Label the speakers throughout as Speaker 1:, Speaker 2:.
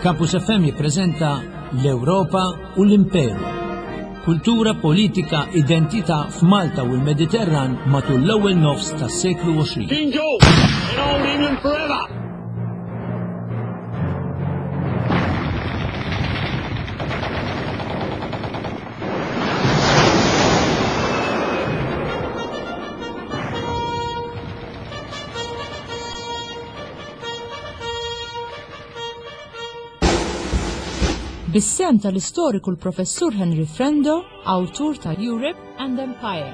Speaker 1: Campus FM jippreżenta l-Ewropa u l-Imperu. Kultura, politika, identità f'Malta u l-Mediterran matul l-ewwel nofs tas-seklu 20.
Speaker 2: King George in Old England forever!
Speaker 3: Bis-sehem tal-istoriku l-Professur Henry Frendo, awtur ta' Europe and Empire.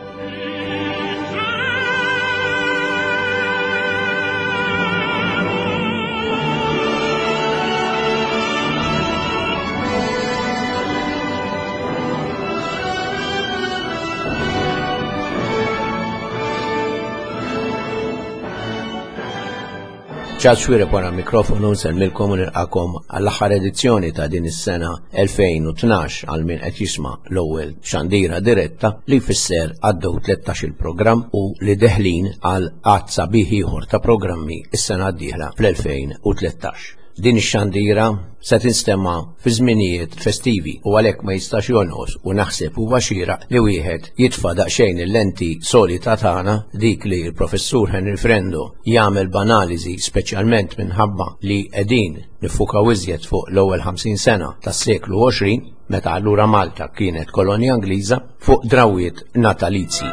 Speaker 4: Charles Xuereb wara mikrofonu nsellmilkom u nilqakom għall-aħħar edizzjoni ta' din is-sena 2012 għal min qed jisma' l-ewwel xandira diretta li jfisser għaddew 13 il-programm u li deħlin għal għadd sabiħ ieħor ta' programmi s-sena d-dieħla fl-2013. Din ix-xandira se tinstema' fi żminijiet festivi u għalhekk ma jistax jonqos u naħseb huwa xieraq li wieħed jitfa' daqsxejn il-lenti solita tagħna dik li l-Professur Henry Frendo jagħmel b'analiżi speċjalment minħabba li qegħdin niffukaw iżjed fuq l-ewwel 50 sena tas-seklu 20 meta allura Malta kienet kolonja Ingliża fuq drawwiet natalizji.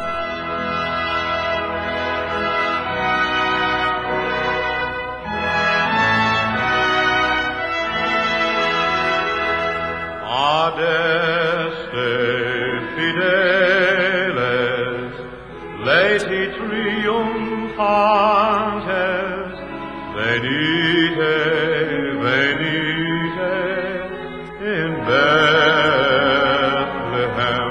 Speaker 5: Adeste fideles, leti triumphantes, venite, venite in Bethlehem.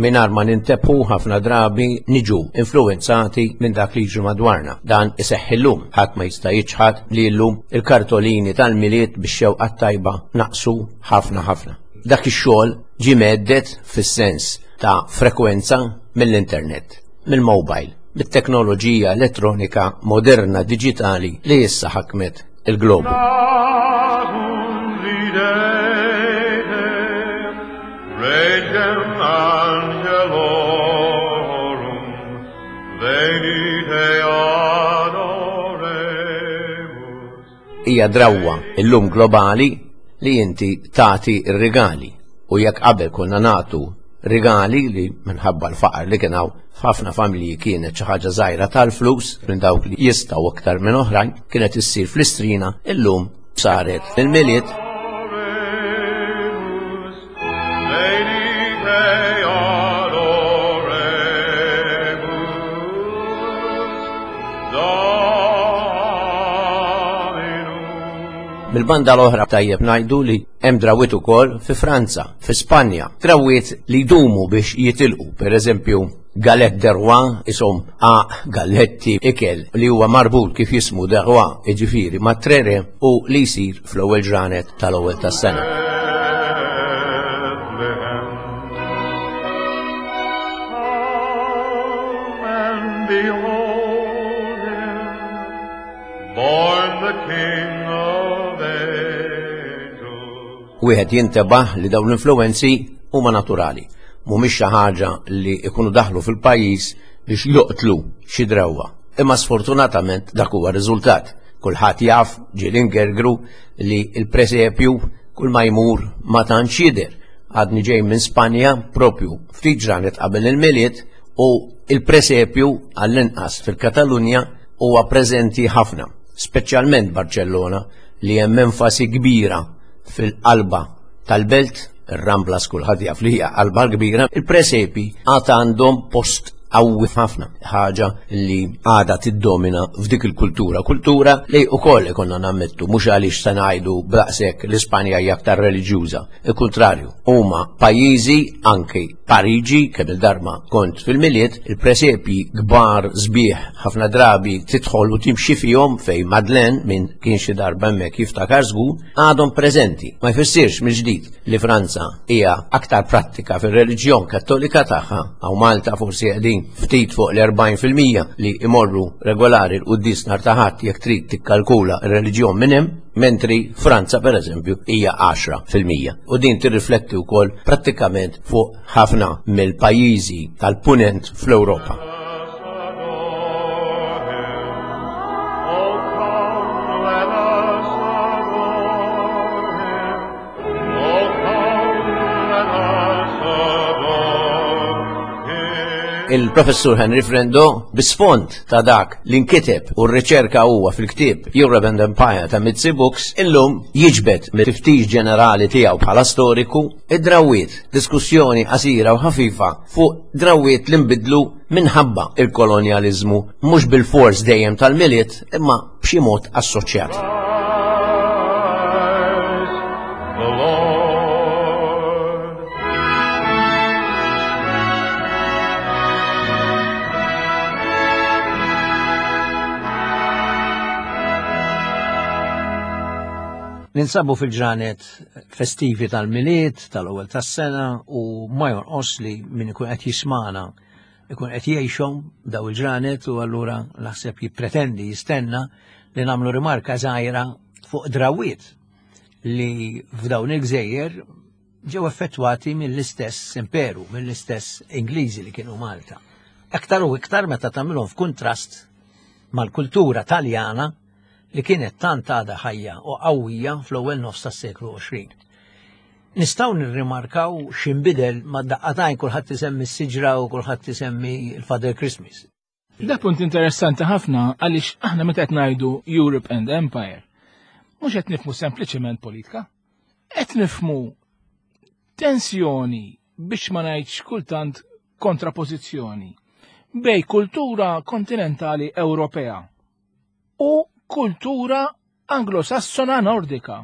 Speaker 4: Mingħajr ma nintebħu ħafna drabi niġu influwenzati minn dak li jiġri madwarna. Dan iseħħ illum. Ħadd ma jista' jiċħad li llum il-kartolini tal-Milied bix-xewqa t-tajba naqsu ħafna ħafna. Dak ix-xogħol ġie mhedded fis-sens ta' frekwenza mill-internet, mill-mobile, mit-teknoloġija elettronika moderna diġitali li issa ħakmet il-globu.
Speaker 5: Regem angelorum, venite adoremus.
Speaker 4: Hija drawwa illum globali li inti tagħti r-rigali u jekk qabel konna nagħtu rigali li minħabba l-faqar li kien hawn f'ħafna familji kienet xi ħaġa żgħira tal-flus minn dawk li jistgħu aktar minn oħrajn kienet issir fl-istrina illum saret il-Milied. Mill-banda l-oħra tajjeb ngħidu li hemm drawwiet ukoll fi Franza, fi Spanja, drawwiet li jdumu biex jitilqu, pereżempju Galette de roi, ishom għaq, galletti, ikel li huwa marbut kif jismu de roi, jiġifieri mat-tre re u li jsir fl-ewwel ġranet tal-ewwel tas-sena. Wieħed jintebaħ li dawn l-influwenzi huma naturali, mhumiex xi ħaġa li jkunu daħlu fil-pajjiż biex joqtlu xi drawwa. Imma sfortunatament dak huwa r-riżultat. Kulħadd jaf, ġieli ngergru, li l-presepju kull ma jmur ma tantx jidher. Għadni ġej minn Spanja propju ftit ġranet qabel il-Milied u il-presepju għall-inqas fil-Katalunja huwa preżenti ħafna, speċjalment Barċellona li hemm enfasi kbira fil-qalba tal-belt, ir-Ramblas kulħadd jaf li hija qalba kbira, il-presepi għad għandhom post qawwi ħafna, ħaġa li għadha tiddomina f'dik il-kultura, kultura li wkoll ikonna nammettu mhux għaliex se ngħidu b'daqshekk l-Ispanja hija aktar reliġjuża, il-kuntrarju, huma pajjiżi anki Pariġi kemm il-darba kont fil-Milied, il-presepji kbar sbieħ ħafna drabi tidħol u timxi fihom fejn Madeleine min kien xi darba hemmhekk jiftakar żgur, għadhom preżenti. Ma jfissirx mill-ġdid li Franza hija aktar prattika fir-reliġjon Kattolika tagħha, hawn Malta forsi qegħdin ftit fuq l-40% li imorru regolari l-quddies nhar ta' Ħadd jekk trid tikkalkula r-reliġjon minn hemm. Mentri Franza pereżempju hija 10%. U din tirrifletti wkoll prattikament fuq ħafna mill-pajjiżi tal-punent fl-Ewropa. Il-Professur Henry Frendo bisfond ta' dak li nkiteb u r-riċerka huwa fil-ktieb Europe and Empire ta' Mizzi Books illum jiġbed mit-tiftix ġenerali tiegħu bħala storiku id-drawwiet, diskussjoni qasira u ħafifa fuq drawwiet li nbidlu minħabba il-kolonjaliżmu mhux bil-fors dejjem tal-Milied imma b'xi mod assoċjat. Ninsabu fil-ġranet festivi tal-Milied, tal-ewwel tas-sena u ma jonqos li min ikun qed jismana ikun qed jgħixhom daw il-ġranet u allura naħseb jippretendi jistenna li nagħmlu rimarka żgħira fuq drawiet li f'dawn il-gżejjer ġew effettwati mill-istess imperu, mill-istess Ingliżi li kienu Malta. Aktar u iktar meta tagħmilhom f'kuntrast mal-kultura Taljana li kienet tant għadha ħajja u qawwija fl-ewwel nofs tas-seklu 20. Nistgħu nirrimarkaw x'inbidel ma' daqqatajn kulħadd isemmi s-siġra u kulħadd isemmi l-Father Christmas.
Speaker 6: Da punt interessanti ħafna għaliex aħna meta qed ngħidu Europe and Empire, mhux qed nifhmu sempliċement politika, qed nifhmu tensjoni biex ma ngħidx kultant kontrapożizzjoni bej kultura kontinentali Ewropea u kultura Anglosassona Nordika.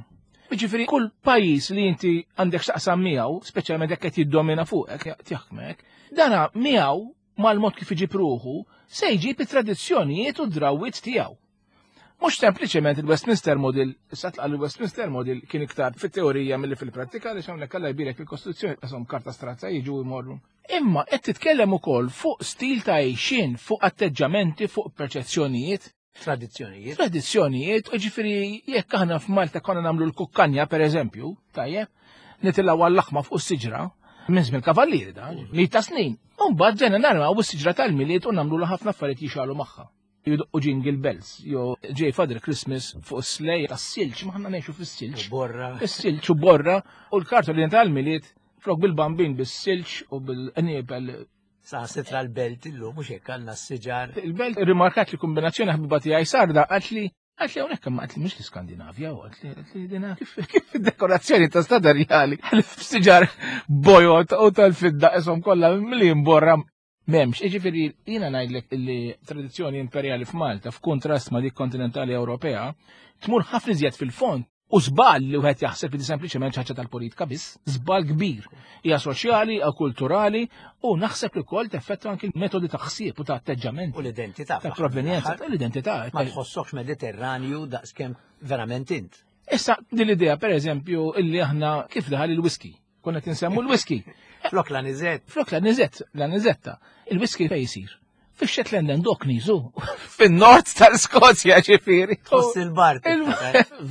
Speaker 6: Jiġifieri kull pajjiż li inti għandek x'taqsam miegħu, speċjalment jekk qed jiddomina fuqek, jaħkmek, dana miegħu mal-mod kif iġib ruħu se jġib it-tradizzjonijiet u d-drawwiet tiegħu. Mhux sempliċement il-Westminster Model, issa tlaq il-Westminster Model kien iktar fit-teorija milli fil-prattika għaliex hawnhekk Alla jbierek il-Kostituzzjoni qashom karta strazza jiġu jmorru. Imma qed titkellem ukoll fuq stil ta' għejxien, fuq atteġġamenti, fuq perċezzjonijiet.
Speaker 1: Tradizzjonijiet.
Speaker 6: Tradizzjonijiet, ġifieri jekk aħna f'Malta konna nagħmlu l-kukkanja pereżempju, tajjeb, nitilgħu għall-laħma fuq is-siġra, minn żmien kavallieri da, li ta' snin. U mbagħad ġejna narmaw is-siġra tal-Milied u nagħmlu ħafna affarijiet jixalu magħha. Jidoqqu jingle bells, jew ġej Father Christmas fuq is-slej tas-silġ, ma ħna ngħixu fis-silġ.
Speaker 1: Borra.
Speaker 6: Is-silġ u borra u l-kartolina tal-Milied flok bil-bambin bis-silġ u bil-qniebel.
Speaker 1: Sa sitra l-belt illum mhux hekk għandna s-siġar.
Speaker 6: Il-belt rimarkat li kombinazzjoni ħbiba tiegħi sarda qalt li qalt li hawnhekk imma qalt li mhux l-Iskandinavja u qalt li qalt li dina kif kif id-dekorazzjoni ta' stadarjali siġar bojot u tal-fidda ishom kollha li mborra m'hemmx. Jiġifieri jiena ngħidlek li tradizzjoni imperjali f'Malta f'kuntrast ma' dik kontinentali Ewropea tmur ħafna iżjed fil-fond. U żball li wieħed jaħseb li sempliċement ħaġa tal-politika biss, żball kbir. Hija soċjali, hija kulturali u naħseb li wkoll teffettwa anki l-metodi ta' ħsieb u ta' atteġġament.
Speaker 1: U l-identità.
Speaker 6: Ta' provvenjenza, l-identità.
Speaker 1: Ma tħossokx Mediterranju daqskemm verament int.
Speaker 6: Issa din l-idea pereżempju illi aħna kif daħal il-whisky. Konna qed insemmu l-whisky.
Speaker 1: Flok la nizet.
Speaker 6: Flok la nizet, la nizetta. Il-whisky fejn jsir? Fix-Shetland and Orkneys, u fin-nord tal-Skozja ġifieri.
Speaker 1: Tħoss il-bart.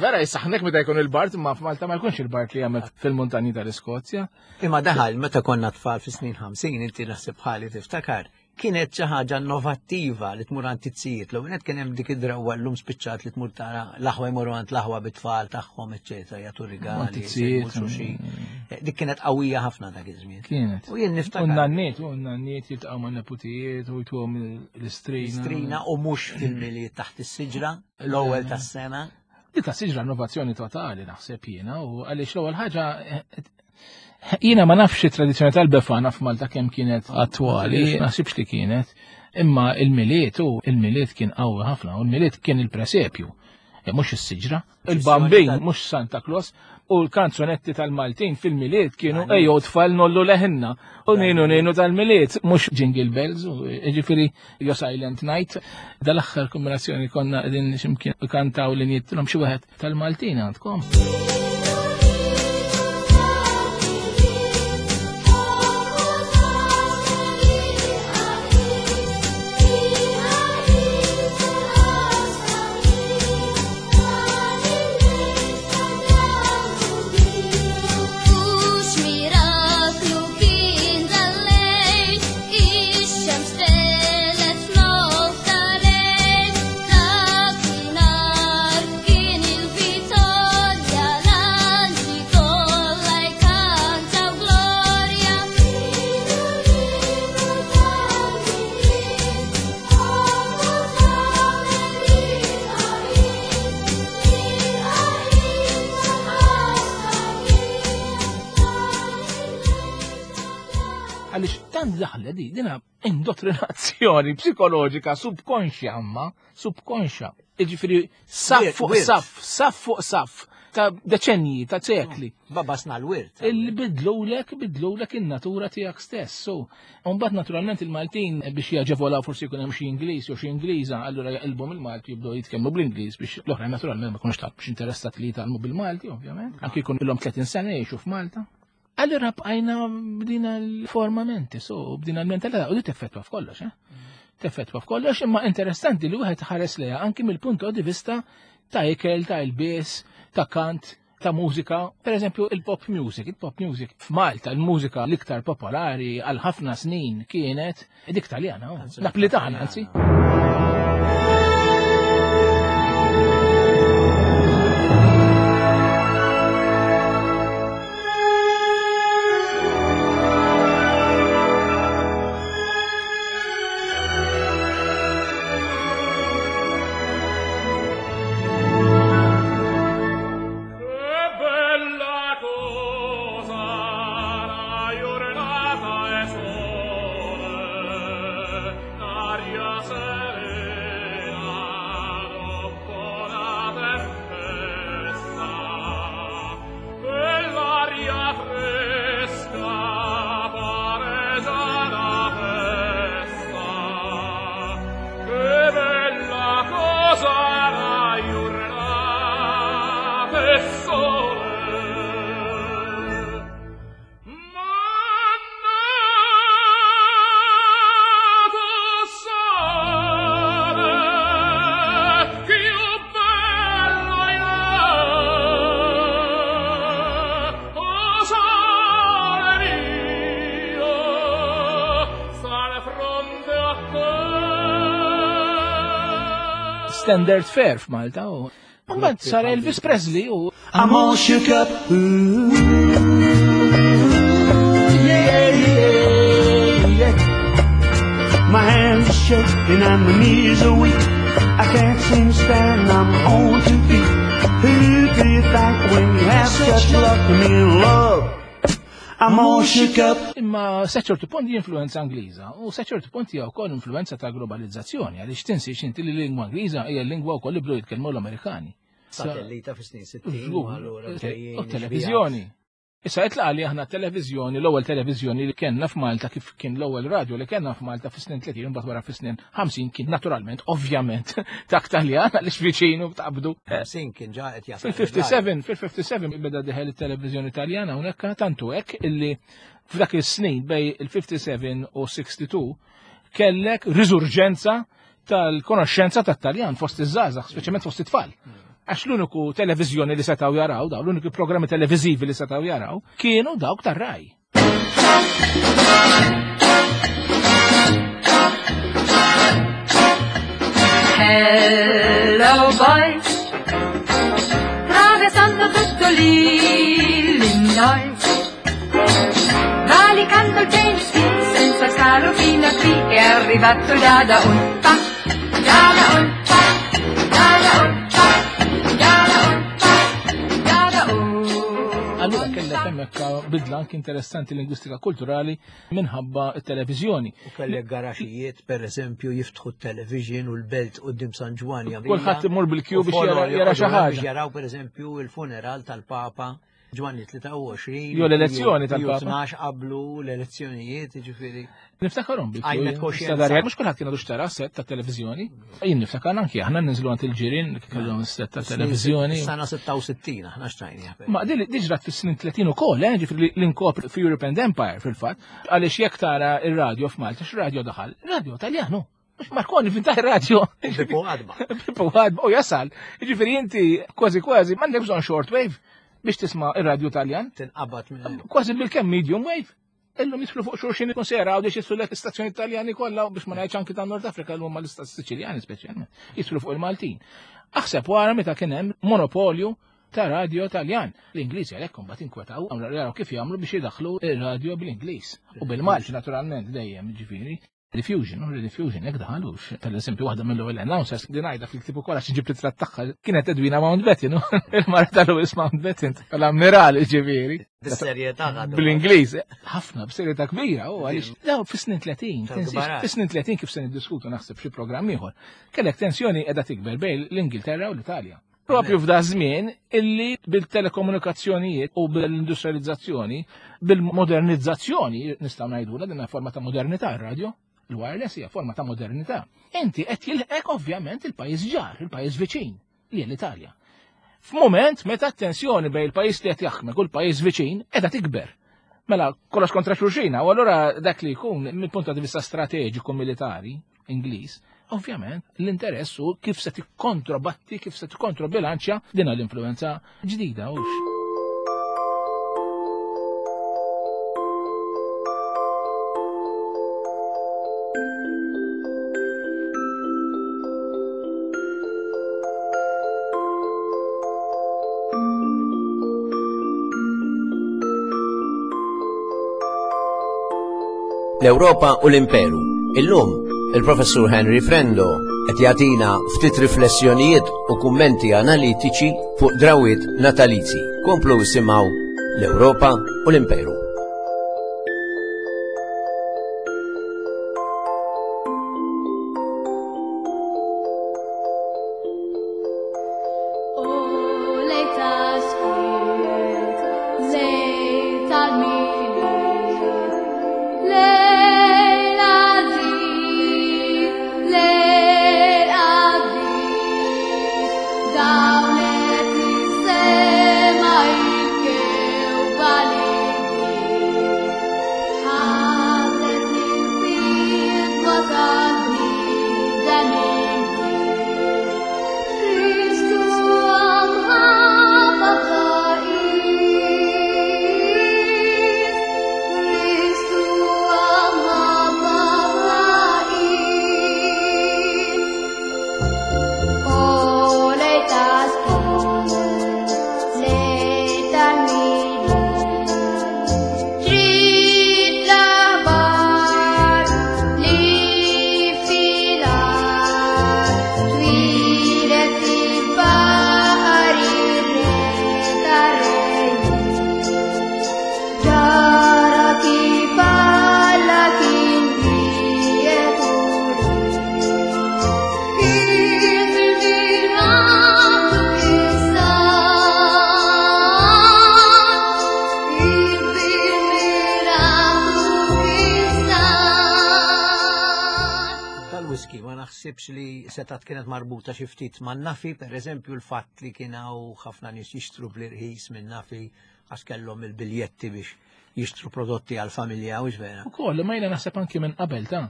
Speaker 6: Vera jisaħnek meta jkun il-bart, imma f'Malta ma jkunx il-bart li jagħmel fil-muntanji tal-Iskozja.
Speaker 1: Imma daħal meta konna tfal fis-snin 50, inti naħseb bħali tiftakar, kienet xi ħaġa innovattiva li tmur għand it-tzijiet. L-ewwel nett kien hemm dik id-drawwa llum spiċċat li tmur tara l-aħwa jmorru għand l-aħwa bit-tfal tagħhom, eċċetera, jagħtu rigali, xulxin. Mm. Dik kienet qawwija ħafna dak iż-żmien.
Speaker 6: Kienet.
Speaker 1: U jien niftakar.
Speaker 6: U n-nanniet, u n-nanniet jiltaqgħu ma' neputijiet u jtuhom l-istrina.
Speaker 1: Strina u mhux fil-milied taħt is-siġra, l-ewwel tas-sena.
Speaker 6: Dik ta' siġra innovazzjoni totali naħseb jiena u għaliex l-ewwel ħaġa jiena ma nafx it-tradizzjoni tal-befana f'Malta kemm kienet attwali, naħsibx li kienet, imma il-miliet u il-miliet kien qawwi ħafna u l-miliet kien il-presepju. E, mhux is-siġra, il-bambin mhux Santa Claus u l-kanzunetti tal-Maltin fil-miliet kienu ejjew tfal nollu leħinna u ninu ninu tal-miliet mhux Jingle Bells u e, ġifieri Jo Silent Night. Dal-aħħar kombinazzjoni konna qegħdin x'imkien kantaw li nittilhom xi wieħed tal-Maltin għandkom. Tant daħle di, dina indottrinazzjoni psikoloġika subkonxja amma, subkonxja. Iġifieri saf fuq saf, saf fuq saf ta' deċenji, ta' sekli.
Speaker 1: Babasna l-wirt.
Speaker 6: Illi bidlulek, bidlulek in-natura tiegħek stess. So, mbagħad naturalment il-Maltin biex jaġevolaw forsi jkun hemm xi Ingliż jew xi Ingliża, allura jaqilbu mill-Malti jibdew jitkellmu bl-Ingliż biex l-oħrajn naturalment ma jkunux taf biex interessat li jitgħallmu bil-Malti, ovvjament. Anki jkun ilhom 30 sena jgħixu f'Malta. Allura bqajna b'dina l-formamenti, so b'dina l-mentalità, u di teffettwa f'kollox, eh? Teffettwa f'kollox, imma interessanti li wieħed ħares leha anki mill-punt di vista ta' ikel, ta' ilbies, ta' kant, ta' mużika, per eżempju il-pop music, il-pop music f'Malta, il-mużika l-iktar popolari għal ħafna snin kienet dik Taljana, oh. Naplitana anzi. Standard Fair f'Malta u mbagħad sar Elvis Presley u
Speaker 7: I'm all shook up. Ooh, yeah, yeah, yeah. My hands are shaking and my knees are weak. I can't seem to stand, I'm on two feet. Who do you thank when you have such luck to be in love? I'm all shook up.
Speaker 6: Imma sa ċertu punt influenza Ingliża u sa ċertu punt hija wkoll influenza ta' globalizzazzjoni għaliex tinsiex inti li l-lingwa Ingliża hija l-lingwa wkoll li bdew jitkellmu l-Amerikani.
Speaker 1: Satellita fis-snin 60 u allura
Speaker 6: U televizjoni. Issa itlaq li aħna televiżjoni, l-ewwel televiżjoni li kellna f'Malta kif kien l-ewwel radio li kellna f'Malta fis-snin 30 mbagħad wara fis-snin 50 kien naturalment, ovvjament, tak Taljan għaliex viċinu taqbdu.
Speaker 1: 50 kien ġa qed jasal.
Speaker 6: Fil-57, fil-57 beda diħel it-televiżjoni Taljana hawnhekk tantu hekk illi f'dak is-snin bej il-57 u 62 kellek riżurġenza tal-konoxxenza tat-Taljan fost iż-żgħażagħ, speċjalment fost it-tfal. Għax l-uniku televiżjoni li setgħu jaraw, daw l-uniku programmi televiżivi li setgħu jaraw, kienu dawk tar-raj.
Speaker 8: Hello boys, attraversando tutto l'Illinois, valicando il Tennessee senza scalo fino a qui è arrivato da da un pa, da da un pa, da da un pa, da da un pa, da da un.
Speaker 6: Allura kellek hemmhekk bidla anki interessanti lingwistika kulturali minħabba t-televiżjoni.
Speaker 1: U kellek garaxijiet, per eżempju, jiftħu t-television u l-belt quddiem San Ġwann jagħmilha.
Speaker 6: Kulħadd imur bil-kju
Speaker 1: U
Speaker 6: biex
Speaker 1: follow
Speaker 6: jara xi
Speaker 1: joqogħdu
Speaker 6: ħaġa.
Speaker 1: Biex jaraw per eżempju il-funeral tal-Papa Ġwanni 23.
Speaker 6: Jew l-elezzjoni tal-Papa.
Speaker 1: 12 qablu l-elezzjonijiet, jiġifieri.
Speaker 6: Niftakarhom bil
Speaker 1: Għajmet koxjenza.
Speaker 6: Mhux kulħadd kien għadu xtara set ta' televiżjoni. Jien niftakar anki aħna ninżlu għand il-ġirien li kellhom set ta' televiżjoni.
Speaker 1: Sena 66 aħna xtrajni.
Speaker 6: Ma din diġrat fis-snin 30 ukoll, eh, ġifieri l-inkopri fi European Empire fil-fatt, għaliex jekk tara ir-radio f'Malta, x'radio daħal? Radio Taljanu. Mhux Marconi finta ir-radio.
Speaker 1: Bipu għadba.
Speaker 6: Bipu għadba u jasal. Ġifieri inti kważi kważi m'għandek bżonn shortwave biex tisma' ir-radio Taljan.
Speaker 1: Tinqabad minn.
Speaker 6: Kważi bil-kemm medium wave. Illum jidħlu fuq xulxin ikun se jaraw biex jidħlu l-istazzjoni Taljani kollha biex ma ngħidx anki ta' Nord Afrika l huma l-istat Siċiljani speċjalment. Jidħlu fuq il-Maltin. Aħseb wara meta kien hemm monopolju ta' radio Taljan. L-Ingliżi għalhekk imbagħad inkwetaw jaraw kif jagħmlu biex jidaħħlu ir-radio bl-Ingliż u bil-Malti naturalment dejjem ġifieri. Diffusion, u diffusion, jek daħalux. Per eżempju, waħda mill-ewwel announcers li ngħidha fil-ktieb ukoll għax ġibt ritratt tagħha kienet Edwina Mountbatten, il-mara ta' Louis Mountbatten, tal-ammiral ġifieri.
Speaker 1: Bis-serjetà
Speaker 6: Bl-Ingliż, ħafna b'serjetà kbira, u għaliex daw fis-snin 30, fis-snin 30 kif se niddiskutu naħseb xi programm ieħor. Kellek tensjoni qiegħda tikber bejn l-Ingilterra u l-Italja. Propju f'da żmien illi bil-telekomunikazzjonijiet u bil-industrializzazzjoni, bil-modernizzazzjoni, nistgħu ngħidula din forma ta' modernità r-radio, il-wireless hija forma ta' modernità. Inti qed jilħqek ovvjament il-pajjiż ġar, il-pajjiż viċin, li l-Italja. F'mument meta t-tensjoni bejn il-pajjiż li qed jaħkmek u l-pajjiż viċin qiegħda tikber. Mela kollox kontra xulxina, u allura dak li jkun mill-punt ta' vista strateġiku militari Ingliż, ovvjament l-interess hu kif se tikkontrobatti, kif se tikkontrobilanċja din l-influenza ġdida hux.
Speaker 4: L-Ewropa u l-Imperu. Illum, il-Professur Henry Frendo qed jagħtina ftit riflessjonijiet u kummenti analitiċi fuq drawiet natalizi. Komplu isimgħu l-Ewropa u l-Imperu.
Speaker 1: Naħsibx li setat kienet marbuta xi ftit man nafi, per eżempju l-fatt li kien hawn ħafna nies jixtru bl-irħis minn nafi għax kellhom il-biljetti biex jixtru prodotti għal familja u vera.
Speaker 6: Ukoll, ma jiena naħseb anki minn qabel ta'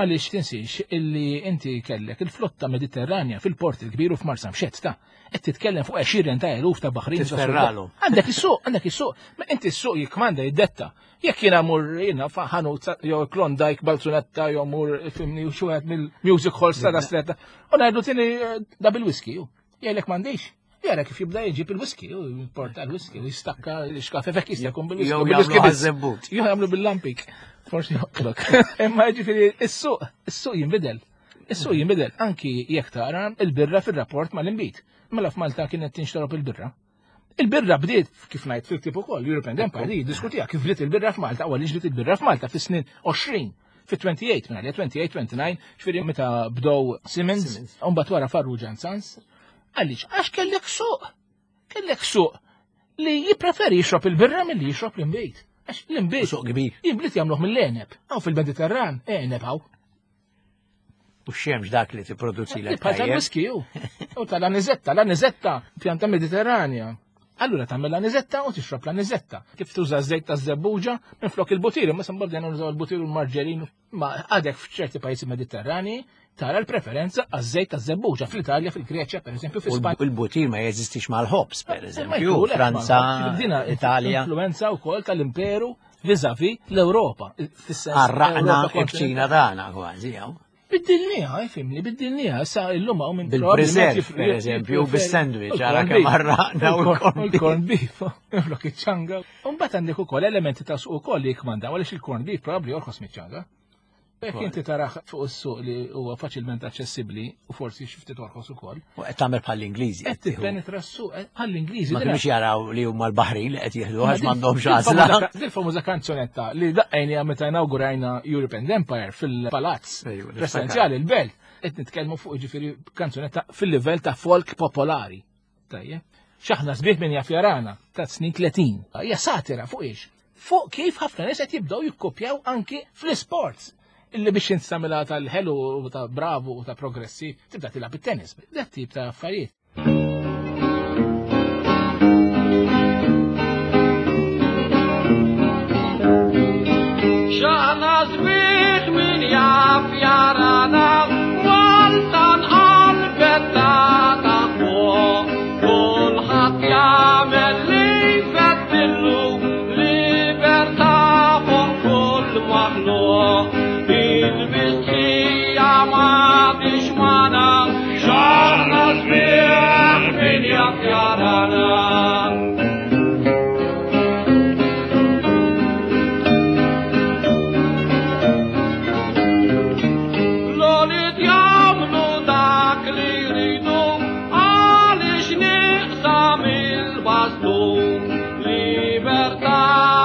Speaker 6: għaliex tinsiex illi inti kellek il-flotta Mediterranja fil-port il-kbir u f'Marsamxett ta' qed titkellem fuq għexieren ta' eluf ta' baħrin.
Speaker 1: Tisferralhom.
Speaker 6: Għandek is-suq, għandek is-suq, ma inti s-suq jikmanda jiddetta. Jekk jiena mur jiena ħanut jew Klondike Balzunetta jew mur fimni u xi wieħed mill-music halls ta' stretta u ngħidlu tieni eh, da bil-whisky. Jgħidlek m'għandix. Jara kif jibda jġib il-whisky, u jimporta l-whisky, u jistakka l-xkafe fek jista' jkun bil-whisky.
Speaker 1: Jew jagħmlu ħażebbut.
Speaker 6: Jew jagħmlu bil-lampik. Forsi joqtlok. Imma ġifieri is-suq, is-suq jinbidel. Is-suq jinbidel anki jekk tara il-birra fir-rapport mal-inbid. Mela f'Malta kienet tinxtorob il-birra. Il-birra bdiet, kif ngħid fil-ktieb ukoll, European Empire, li jiddiskutiha kif bdiet il-birra f'Malta, u għaliex bdiet il-birra f'Malta fis-snin 20, fit-28, minn għalija 28, 29, ġifieri meta bdew Siemens, u mbagħad wara Farrugia and Sons. Għaliex, għax kellek suq, kellek suq li jippreferi jixrob il-birra milli jixrob l-inbejt. Għax l-inbejt.
Speaker 1: Suq kbir.
Speaker 6: L-inbejt jagħmluh mill-għeneb. Hawn fil-Mediterran, għeneb hawn.
Speaker 1: U xemx dak li tipproduċi l
Speaker 6: Bħal tal-whisky ju. U tal-anizetta, l-anizetta, pjanta mediterranja. Allura tagħmel l-anizetta u tixrob l-anizetta. Kif tuża żejt ta' żebbuġa minn flok il-butir, imma se mbagħad nużaw il-butir u l-marġerin. Ma għadek f'ċerti pajjiżi Mediterrani tara l-preferenza għaż-żejt ta' żebbuġa fl-Italja, fil-Greċja, pereżempju, fl-Ispanja.
Speaker 1: U l-butir ma jeżistix mal-ħobż, pereżempju, Franza, Italja.
Speaker 6: Influenza wkoll tal-imperu vis-a-vis l-Ewropa.
Speaker 1: Għarraqna il-kċina tagħna kważi, jew.
Speaker 6: Biddilniha, jifimni, biddilniha, sa illum hawn minn
Speaker 1: Bil-preserv, per eżempju, bis-sandwich, għara kemm għarraqna u
Speaker 6: l-corn beef, flok iċ-ċanga. U mbagħad għandek ukoll elementi ta' suq ukoll li jikmandaw għaliex il-corn beef probabbli jorħos miċ-ċanga. Jekk inti taraħ fuq is-suq li huwa faċilment aċċessibbli u forsi xi ftit orħos ukoll.
Speaker 1: U qed tagħmel bħall-Ingliżi.
Speaker 6: Qed tippenetra s-suq eh, bħall-Ingliżi.
Speaker 1: Ma kinux jaraw li huma l-Baħrin li qed jieħdu għax m'għandhomx għażla.
Speaker 6: Dil-famuża kanzunetta li daqqejna meta inawgurajna European Empire fil-Palazz Presidenzjali l-Belt qed nitkellmu fuq ġifieri kanzunetta fil-livell ta' folk popolari. Tajjeb. X'aħna sbieħ min jaf jarana ta' snin 30. Hija satira fuq ix. Fuq kif ħafna nies qed jibdew jikkopjaw anki fl-isports illi biex instamilha tal-ħelu u ta' bravu u ta' progressi tibda tilgħab it-tennis. Dat tip ta' affarijiet.
Speaker 2: Xaħna sbieħ min jaf jarana Malta nqalbet ta' fuq Kulħadd jagħmel li jfettillu Libertà fuq kull maħluq Il-mistħija m'għadix magħna Xaħna sbieħ min jaf jarana L-għolid jagħmlu dak li jridu għaliex nieqsa mill-bastun. Libertà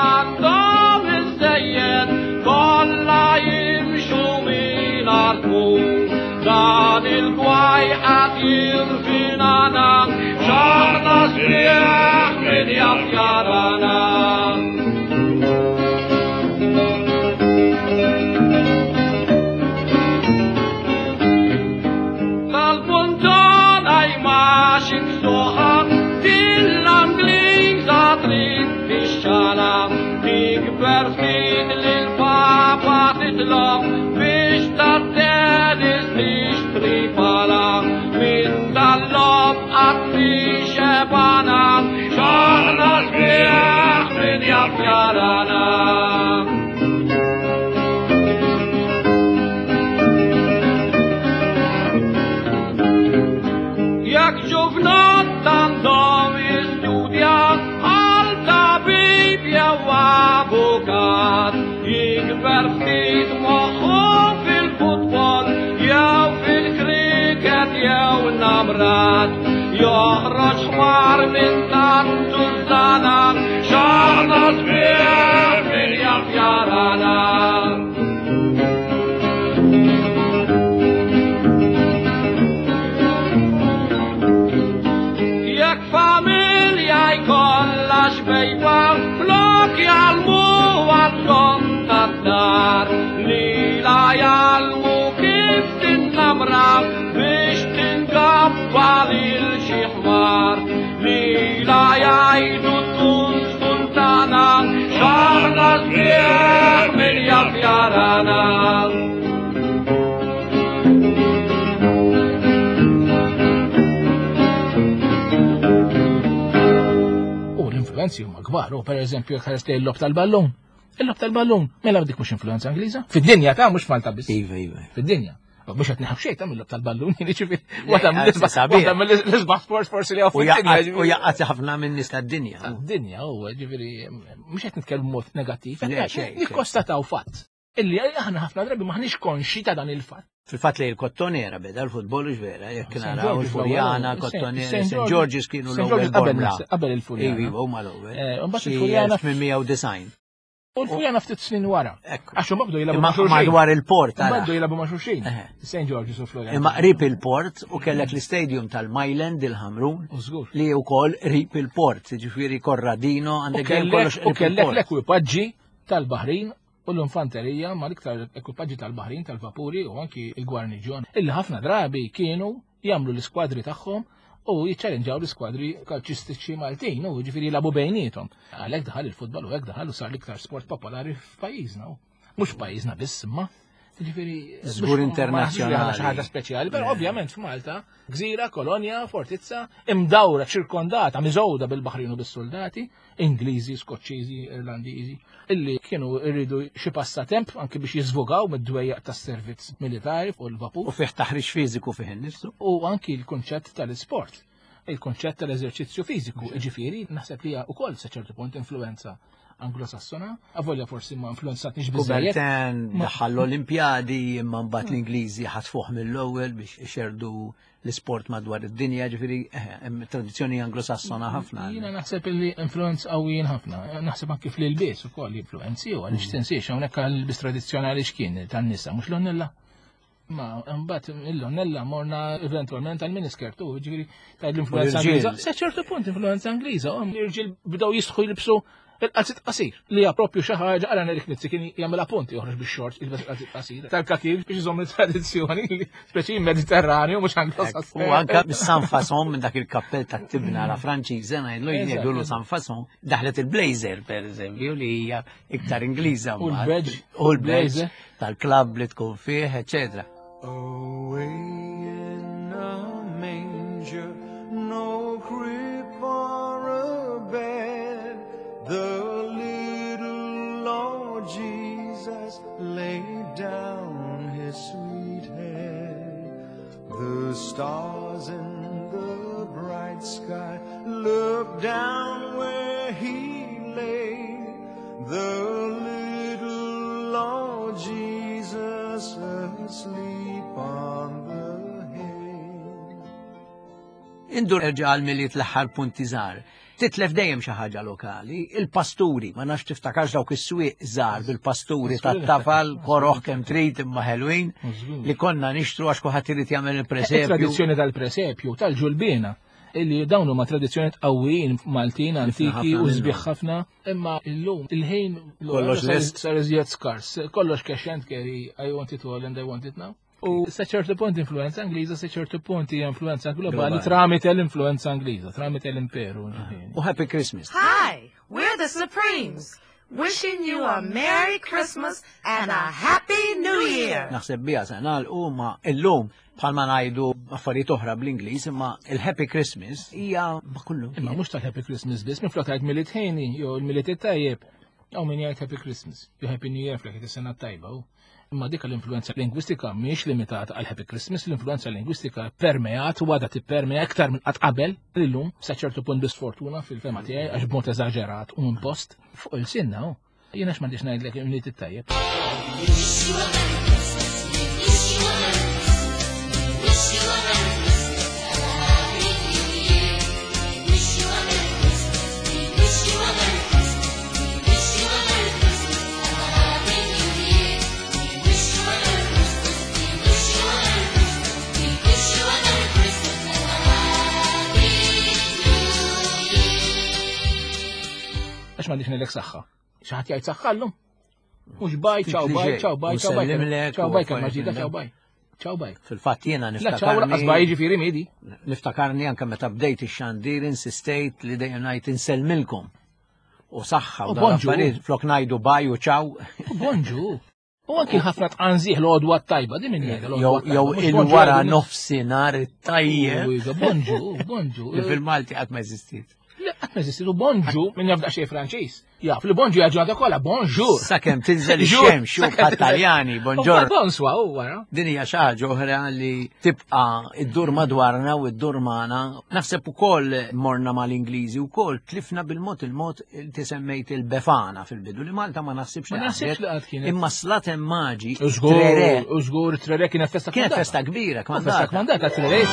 Speaker 2: għandhom iżżejjed kollha jimxu mingħajr tmun. Dan il-gwaj qed jirvinana x'aħna sbieħ min jaf jarana. Tal-punton għaj xiksuħa Till-Angliża trid tixxala Tikber ftit lil-Papa titlob biex tat-tennis tixtri pala Minn dal-lob qatt xebana X'aħna sbieħ min jaf jarana. Jekk ġuvnot għandhom jistudja għal tabib jew avukat, jikber ftit moħħu fil-futbol jew fil-kriket jew namrat. Joħroġ ħmar minn tant tużana, x'aħna sbieħ min jaf jarana. Jekk familja jkollha xbejba flok jgħallmu għall-om tad-dar lilha jgħallmu kif tinnamra biex tingabba lil xi ħmar lilha jgħidu tkun sultana x'aħna sbieħ min jaf jarana.
Speaker 6: U l-influenzi huma kbar, u per eżempju jekk ħares lejn il-lob tal-ballun. Il-lob tal-ballun, mela dik mhux influenza Ingliża? Fid-dinja ta' mhux Malta biss.
Speaker 1: Iva, iva.
Speaker 6: Fid-dinja. U Mhux qed neħu xejn ta' mill-lob tal-ballun, jiġifieri
Speaker 1: Le,
Speaker 6: waħda
Speaker 1: anzi,
Speaker 6: mill-isbaħ
Speaker 1: sabiħ.
Speaker 6: waħda mill-isbaħ sports forsi li hawn
Speaker 1: U
Speaker 6: fid-dinja.
Speaker 1: jaqgħad u
Speaker 6: jiġifieri.
Speaker 1: jaqgħad ħafna minn nies tad-dinja.
Speaker 6: Tad-dinja huwa ġifieri mhux qed nitkellmu mod negattiv,
Speaker 1: Le,
Speaker 6: qed
Speaker 1: xejn, xejn.
Speaker 6: nikkonstataw fatt. Illi aħna ħafna drabi maħniex konxi ta' dan il-fatt.
Speaker 1: Fil-fatt li l-Kottonera beda l-futbol u vera, jekk
Speaker 6: St.
Speaker 1: naraw
Speaker 6: George's
Speaker 1: il-Furjana,
Speaker 6: l-ewwel,
Speaker 1: Kottonera,
Speaker 6: St.
Speaker 1: St. George's kienu
Speaker 6: St.
Speaker 1: l-ewwel
Speaker 6: George's qabel
Speaker 1: Bormla.
Speaker 6: qabel il-Furjana.
Speaker 1: Iva, iva, huma l-ewwel.
Speaker 6: Eh, u mbagħad
Speaker 1: Xi
Speaker 6: il-Furjana
Speaker 1: 1890.
Speaker 6: U l-Furjana ftit snin wara.
Speaker 1: Ekku.
Speaker 6: Għax huma bdew jilagħbu
Speaker 1: Imma
Speaker 6: ma' xulxin.
Speaker 1: madwar il-port,
Speaker 6: Huma
Speaker 1: ara.
Speaker 6: bdew jilagħbu ma' xulxin.
Speaker 1: Eħe.
Speaker 6: St. George's u Floriana.
Speaker 1: Imma qrib il-port u kellek l-istadium tal-Myland il-Ħamrun
Speaker 6: U żgur.
Speaker 1: li wkoll qrib il-port, ġifieri Corradino
Speaker 6: U
Speaker 1: għandek dejjem
Speaker 6: kellek
Speaker 1: kollox
Speaker 6: u
Speaker 1: qrib
Speaker 6: kellek
Speaker 1: il-port.
Speaker 6: l-ekwipaġġi tal-Baħrin u l-infanterija ma l-iktar ekwipaġġi tal-Baħrin tal-vapuri u anki il-gwarniġjon illi ħafna drabi kienu jagħmlu l-iskwadri tagħhom u jiċċellenġaw l-iskwadri kalċistiċi Maltin u ġifieri jilagħbu bejniethom. Għalhekk daħal il-futbol u hekk daħal u sar l-iktar sport popolari f'pajjiżna. u Mhux pajjiżna biss imma Ġifieri
Speaker 1: Żgur
Speaker 6: mhux- ma naħsibx li aħna
Speaker 1: internazzjonali.
Speaker 6: xi ħaġa speċjali, però ovvjament f'Malta, gżira, kolonja, fortizza, imdawra, ċirkondata, miżgħuda bil-Baħrin u bis-soldati, Ingliżi, Skoċċiżi, Irlandiżi, illi kienu rridu xi passatemp anki biex jiżvogaw mid-dwejjaq tas-servizz militari fuq il-vapur
Speaker 1: U fih taħriġ fiżiku fih innifsu.
Speaker 6: u anki l-kunċett tal-isport, il-kunċett tal-eżerċizzju fiżiku, ġifieri naħseb li hija wkoll sa ċertu punt influenza. Anglosassona, avolja forsi ma influenzatniex biżejjed.
Speaker 1: Coubertin daħħal l-Olimpjadi imma mbagħad l-Ingliżi ħatfuh mill-ewwel biex ixerdu l-isport madwar id-dinja, ġifieri hemm tradizzjoni anglosassona ħafna.
Speaker 6: Jiena naħseb li influenz qawwijin ħafna. Naħseb anki fl-ilbies ukoll influenzi u għaliex tinsiex hawnhekk l-ilbies tradizzjonali x'kien tan-nisa mhux l-onnella. Ma mbagħad il-onnella morna eventwalment għal miniskirt u ġifieri ta' l-influenza Ingliża. Sa ċertu punt influenza Ingliża, l-irġiel bdew jistħu jilbsu il-qalzit qasir li hija propju xi ħaġa għala Eric Nizzi kien jagħmilha punti joħroġ bix-xort jilbes il-qalzit qasir tal-kakir biex iżomm it-tradizzjoni li speċi Mediterranju mhux Anglosassoni.
Speaker 1: U anke bis-San Fason minn dak il-kappell tat-tibna la Franċiża ngħidlu jgħidulu San Fason daħlet il-blazer pereżempju li hija iktar Ingliża.
Speaker 6: U l-badge.
Speaker 1: U l-badge tal-klabb li tkun fih, eċetera.
Speaker 5: Away in a manger, no crib or a bed, the little Lord Jesus laid down his sweet head. The stars in the bright sky looked down where he lay. The little Lord Jesus asleep on the hay.
Speaker 1: Indur erġa' għal Milied l-aħħar punti żgħar. Titlef dejjem xi ħaġa lokali, il-pasturi, ma nafx tiftakarx dawk is-swieq żgħar bil-pasturi tat-tafal, koroħ kemm trid imma ħelwin, li konna nixtru għax kulħadd irid jagħmel il-presepju.
Speaker 6: Tradizzjoni tal-presepju, tal-ġulbiena, illi dawn huma tradizzjonijiet qawwijin Maltin antiki u sbieħ ħafna, imma illum il-ħin
Speaker 1: Kollox lest.
Speaker 6: sar iżjed skars, kollox cash and carry, I want it all and I want it now. U sa ċertu punt influenza Ingliża, sa ċertu punt hija influenza globali tramite l-influenza Ingliża, tramite l-imperu.
Speaker 1: U Happy Christmas.
Speaker 9: Hi, we're the Supremes, wishing you a Merry Christmas and a Happy New Year.
Speaker 1: Naħseb biha se nagħlqu ma illum bħalma ngħidu affarijiet oħra bl-Ingliż, imma il-Happy Christmas hija ma kullu.
Speaker 6: Imma mhux tal-Happy Christmas biss, minflok tgħid Milied ħini jew il-Milied it-tajjeb, jew min jgħid Happy Christmas, jew Happy New Year flek is-sena tajba. Imma dik l-influenza lingwistika mhijiex limitata għal Happy Christmas, l-influenza lingwistika permeat u għadha tippermea iktar minn qatt qabel illum sa ċertu punt bisfortuna fil-fema tiegħi għax b'mod eżaġerat u impost fuq il-sinna. Jiena x'm'għandix ngħidlek il-Milied it-tajjeb. Għax m'għandix ngħidlek saħħa. Xi ħadd jgħid saħħa llum? Mhux baj, ċaw baj, ċaw baj, ċaw baj. Ċaw baj kemm ġdida, ċaw baj. Ċaw baj.
Speaker 1: Fil-fatt jiena
Speaker 6: La ċaw lanqas baj jiġifieri miedi.
Speaker 1: Niftakarni anke meta bdejt ix-xandir insistejt li dejjem ngħid insellmilkom. U saħħa u
Speaker 6: U bonġu.
Speaker 1: affarijiet flok ngħidu baj u ċaw.
Speaker 6: U bonġu. U anki ħafna tqanżih l-għodwa tajba, di min jgħidha
Speaker 1: Jew jew il-wara nofsinhar it-tajjeb.
Speaker 6: Bonġu, bonġu.
Speaker 1: Li fil-Malti qatt ma eżistiet.
Speaker 6: Le, qatt ma eżistiet u bonġu min jaf daqsxejn Franċiż. Jaf li bonġu hija ġurnata kollha, bonjour.
Speaker 1: Sakemm tinżel ix-xemx u bħat-Taljani, bonġor.
Speaker 6: Bonswa u wara.
Speaker 1: Din hija xi ħaġa oħra li tibqa' iddur madwarna u iddur magħna. Naħseb ukoll morna mal-Ingliżi wkoll tlifna bil-mod il-mod inti semmejt il-Befana fil-bidu li Malta ma naħsibx
Speaker 6: Ma naħsibx li qatt kienet.
Speaker 1: Imma slaten maġi.
Speaker 6: Żgur, u żgur trere kienet festa
Speaker 1: Kienet
Speaker 6: kmandata.
Speaker 1: festa kbira,
Speaker 6: Festa
Speaker 1: kmandata.
Speaker 6: kmandata trere.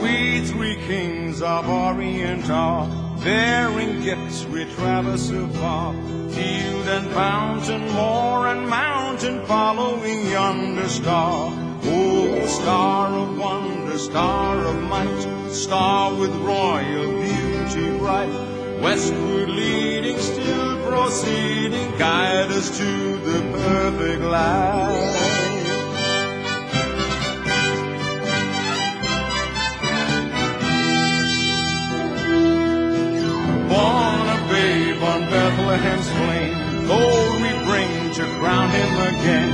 Speaker 5: We three kings of Orient are bearing gifts we traverse afar. Field and fountain, moor and mountain, following yonder star. Oh, star of wonder, star of might, star with royal beauty bright. Westward leading, still proceeding, guide us to the perfect light. Born a babe on Bethlehem's plain, gold we bring to crown him again.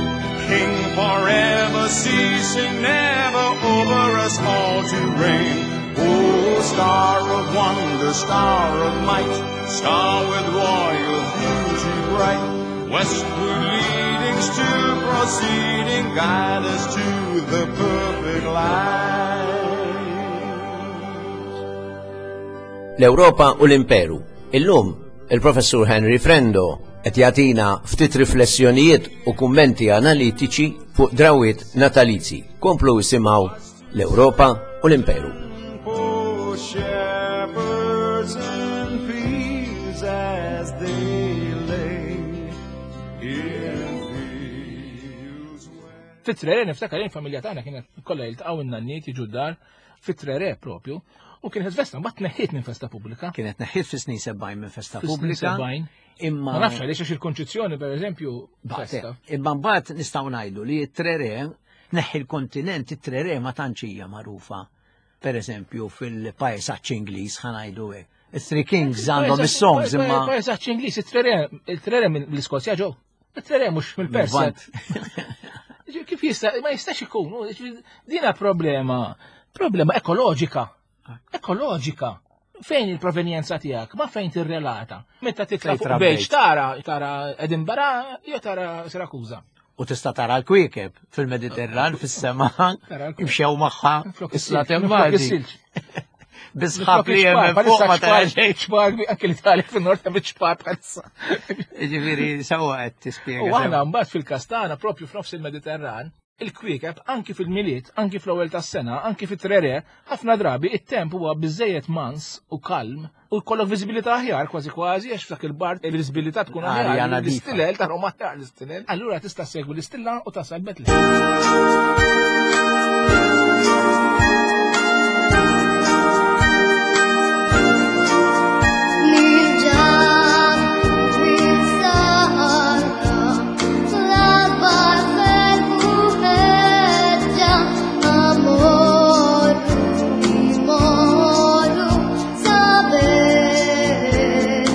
Speaker 5: King forever, ceasing never, over us all to reign. Oh, star of wonder, star of might, star with royal beauty bright, westward leading, Kings still proceeding, guide us to the perfect light.
Speaker 4: L-Ewropa u l-Imperu. Illum, il-Professur Henry Frendo qed jagħtina ftit riflessjonijiet u kummenti analitiċi fuq drawiet natalizi. Komplu isimgħu l-Ewropa u l-Imperu.
Speaker 5: For shepherds in fields as they lay in fields.
Speaker 6: Fit-trere niftakar jien familja tagħna kienet kollha jiltaqgħu in-nanniet jiġu d-dar fit-trere propju u kienet festa mbagħad tneħħiet minn festa pubblika.
Speaker 1: Kienet neħħiet fi snin 70 minn festa
Speaker 6: Fis-snin
Speaker 1: pubblika.
Speaker 6: 70.
Speaker 1: Imma
Speaker 6: Ma nafx għaliex għax il-konċizzjoni pereżempju festa.
Speaker 1: Imma mbagħad nistgħu ngħidu li t-trere tneħħi l-kontinent it-trere ma tantx hija magħrufa. Per eżempju fil-pajsaġġ Ingliż ħa ngħidu hekk. It-Three Kings għandhom is-songs imma
Speaker 6: Pajsaġġ Ingliż, it-trere mill-Iskozja ġew. It-trere mhux mill-Persja.
Speaker 1: Lvant.
Speaker 6: Kif jista' ma jistax ikun, dina problema, problema ekoloġika. Ekoloġika. Fejn il-provenjenza tiegħek, ma fejn tirrelata. Meta titla'
Speaker 1: Fejn
Speaker 6: fuq
Speaker 1: trabbejt.
Speaker 6: bejġ tara, tara Edinburgh jew tara Sirakuża.
Speaker 1: U tista' tara l-kwiekeb fil-Mediterran, fis-sema,
Speaker 6: Tara l-kwiekeb.
Speaker 1: imxew magħha
Speaker 6: Flok
Speaker 1: is-slatem
Speaker 6: is-silġ, flok
Speaker 1: Malti.
Speaker 6: is-silġ.
Speaker 1: Bisħab li hemm minn fuq ma tara xejn.
Speaker 6: ċpar, anke l-Italja fin-nord hemm iċ-ċpar bħalissa.
Speaker 1: Ġifieri sewwa qed tispjega.
Speaker 6: U aħna mbagħad fil-Kastana propju f'nofs il-Mediterran, il-kwiekeb anki fil-Milied, anki fl-ewwel tas-sena, anki fit-trere, ħafna drabi it-temp huwa biżejjed mans u kalm u jkollok viżibilità aħjar kważi kważi għax f'dak il-bard il-viżibilità tkun
Speaker 1: Arja
Speaker 6: aħjar.
Speaker 1: nadifa.
Speaker 6: L-istilel tarhom aħjar l-istilel. Allura tista' segwi l-istilla u tasal Betlehem.
Speaker 10: Nirġa' fis-sahara, l-akbar ferħ u ħeġġa, amor imorru sa Betlehem.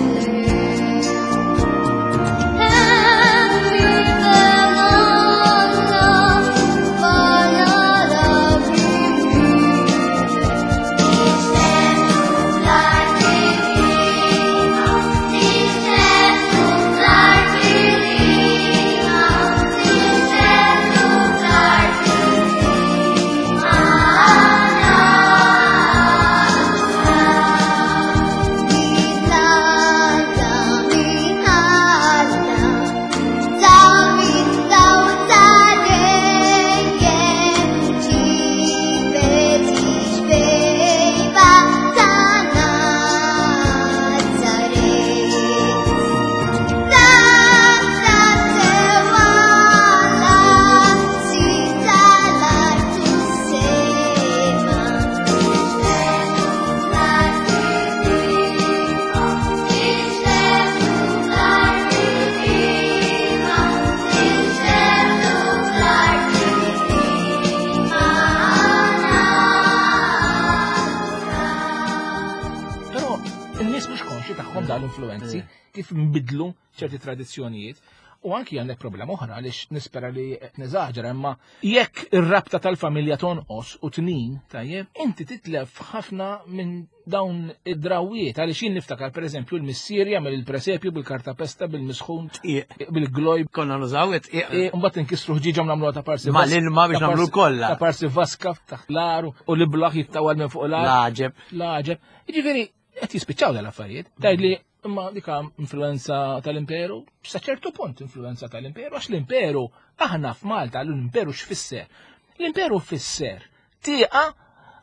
Speaker 6: Però n-nies mhux konxi tagħhom dawn l-influenzi kif nbidlu ċerti tradizzjonijiet. U anki għandek problema oħra għaliex nispera li qed neżaġera imma jekk ir-rabta tal-familja tonqos u tnin, tajjeb, inti titlef ħafna minn dawn id-drawiet għaliex jien niftakar pereżempju l-missier jagħmel il-presepju bil-kartapesta bil-misħun bil-gloj
Speaker 1: Konna nużaw it-tqiq.
Speaker 6: E, Mbagħad inkissru ħġiġa u nagħmluha ta' parsi.
Speaker 1: Ma l-ilma biex
Speaker 6: ta'
Speaker 1: nagħmlu kollha.
Speaker 6: Ta' parsi vaska taħt l-aru u l-iblaħ jittawal minn fuq l-ar.
Speaker 1: L-għaġeb.
Speaker 6: L-għaġeb. Jiġifieri qed jispiċċaw dal-affarijiet. Tgħid li imma dika influenza tal-imperu, sa ċertu punt influenza tal-imperu, għax l-imperu aħna f'Malta l-imperu x'fisser? L-imperu fisser tieqa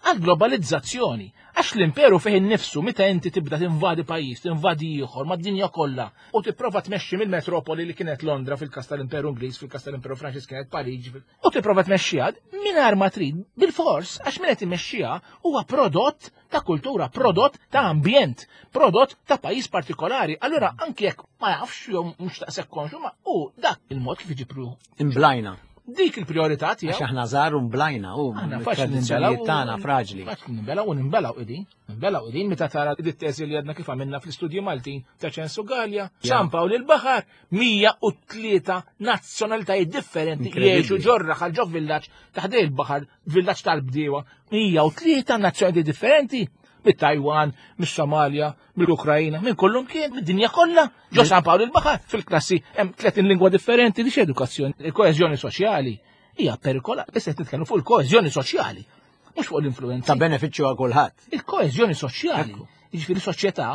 Speaker 6: għal-globalizzazzjoni. Għax l-imperu fih innifsu meta inti tibda tinvadi pajjiż, tinvadi ieħor mad-dinja kollha u tipprova tmexxi mill-metropoli li kienet Londra fil-każ tal-Imperu Ingliż, fil-każ tal-Imperu Franċiż kienet Pariġi, u tipprova tmexxiha mingħajr ma trid bil-fors għax min qed imexxiha huwa prodott ta' kultura, prodott ta' ambjent, prodott ta' pajjiż partikolari. Allura anki jekk ma jafx jew mhux taqsek konxu ma u dak il-mod kif iġibru
Speaker 1: Imblajna.
Speaker 6: dik il-priorità tiegħu.
Speaker 1: Għax aħna żgħar u mblajna u
Speaker 6: Aħna faċli
Speaker 1: tradizzjonijiet
Speaker 6: ninbelaw.
Speaker 1: tagħna fraġli.
Speaker 6: Faċli ninbelaw u ninbelaw qegħdin. Ninbelaw qegħdin meta tara dit-teżi li għadna kif għamilna fl-istudji Maltin ta' Ċensu Gallia, San Pawl il-Baħar, 103 nazzjonalitajiet differenti
Speaker 1: Inkredibbli.
Speaker 6: jgħixu ġorra ħal ġo villaġġ taħdej il-baħar, villaġġ tal-bdiewa, 103 nazzjonalitajiet differenti. Mit-Taiwan, mis-Somalia, mill-Ukrajina, minn kullum kien, mid-dinja kollha. Ġo San Pawl il-Baħar fil-klassi hemm 30 lingwa differenti di edukazzjoni, il-koeżjoni soċjali hija perikola. Issa qed nitkellmu fuq il-koeżjoni soċjali, mhux fuq l-influenza.
Speaker 1: Ta' benefiċċju għal kulħadd.
Speaker 6: Il-koeżjoni soċjali, jiġifieri soċjetà